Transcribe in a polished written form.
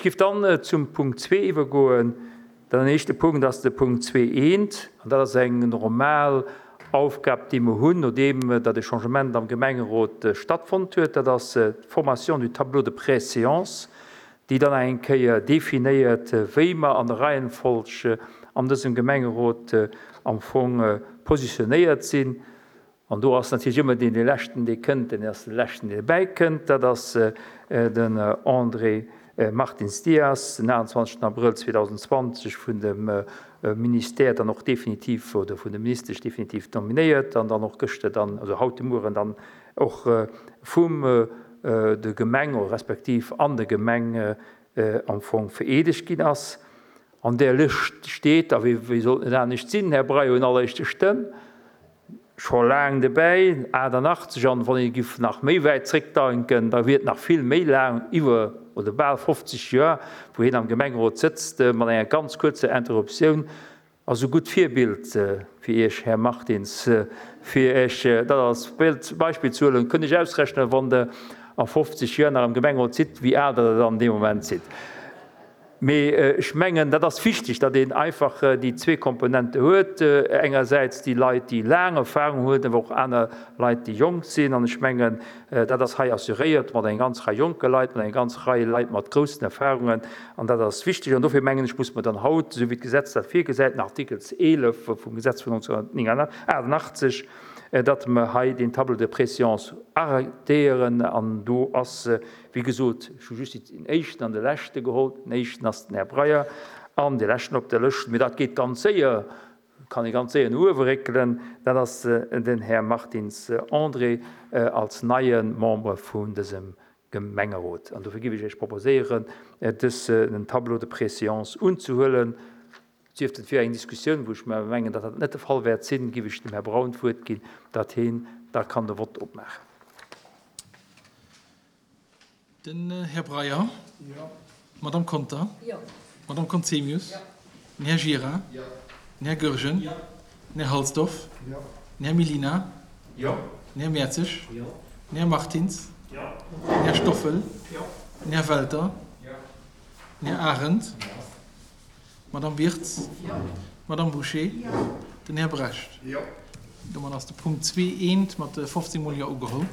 Ech géif dann zum Punkt zwee iwwergoen. Den éischte Punkt ass de Punkt zwee eent, an dat ass eng normal Aufgab, déi mer hunn, nodeem datt e Changement am Gemengerot stattfonnt huet. Dat ass d'Formation du tableau de préséance, déi dann eng Kéier definéiert, wéi mer an der Reihenfolg an dësem Gemengerot am Fong positionéiert sinn. An do ass natierlech ëmmer deen, dee leschten, dee kënnt, deen ass de leschten, dee bäikënnt. Dat ass den André Martins Dias, den 28 Abrëll 2020 vun dem Ministère dann och definitiv, oder vun der Ministesch definitiv nominéiert an dann och gëschter dann, also haut de Mueren dann och vum der Gemeng, respektiv an der Gemeng am Fong vereedegt ginn ass. An där Lëscht steet, a wéi sollt et anescht sinn, Här Breyer, un alleréischter Stëmm, scho laang dobäi, 88, an wann ee giff nach méi wäit zréckdenken, da wier et nach vill méi laang, iwwer oder bal 50 Joer, wou hien am Gemengerot sëtzt, mat enger ganz kuerzer Interruptioun. Ass e gutt Virbild fir Iech, Här Martins, fir Iech dat als Beispill ze huelen. Kënnt Iech ausrechnen, wann Der a 50 Joer nach am Gemengerot sidd, wéi al Der dann dee Moment sidd. Mee ech mengen, dat ass wichteg, datt een einfach déi zwee Komponente huet, engersäits déi Leit, déi laang Erfahrung hunn, awer och aner Leit, déi jonk sinn. An ech mengen, dat ass hei assuréiert mat enger ganz Rei jonke Leit, mat enger ganz Rei Leit mat groussen Erfahrungen. An dat ass wichteg. An dofir mengen ech, muss mer dann haut, esou wéi d'Gesetz dat virgesäit, den Artikel 11 vum Gesetz vun 1988, datt mer hei deen Tableau de préséance arrêtéieren. An do ass Wéi gesot, ech hu just den éischten an de leschte geholl. Den éischten ass den Här Breyer an de leschten op der Lëscht, mee dat geet ganz séier, kann ee ganz séier no uewe réckelen, dat ass den Här Martins André als neie Member vun dësem Gemengerot. An dofir géif ech Iech proposéieren, dësen Tableau de préséance unzehuelen. Sief et fir eng Diskussioun, wou ech mer mengen, datt dat net de Fall wäert sinn, géif ech dem Här Braun d'Wuert ginn, datt hien da kann de Vott opmaachen. Den Här Breyer. Jo. D'Madame Conter. Jo. D'Madame Conzemius. Jo. Den Här Gira. Jo. Den Här Goergen. Jo. Den Här Halsdorf. Jo. Den Här Mellina. Jo. Den Här Mertzig. Jo. Den Här Martins. Jo. Den Här Stoffel. Jo. Den Här Welter. Jo. Den Här Arendt. Jo. D'Madame Wirtz. Jo. D'Madame Bouché. Jo. Den Här Brecht. Jo. Domat ass de Punkt zwee eent mat 15 mol Jo ugeholl.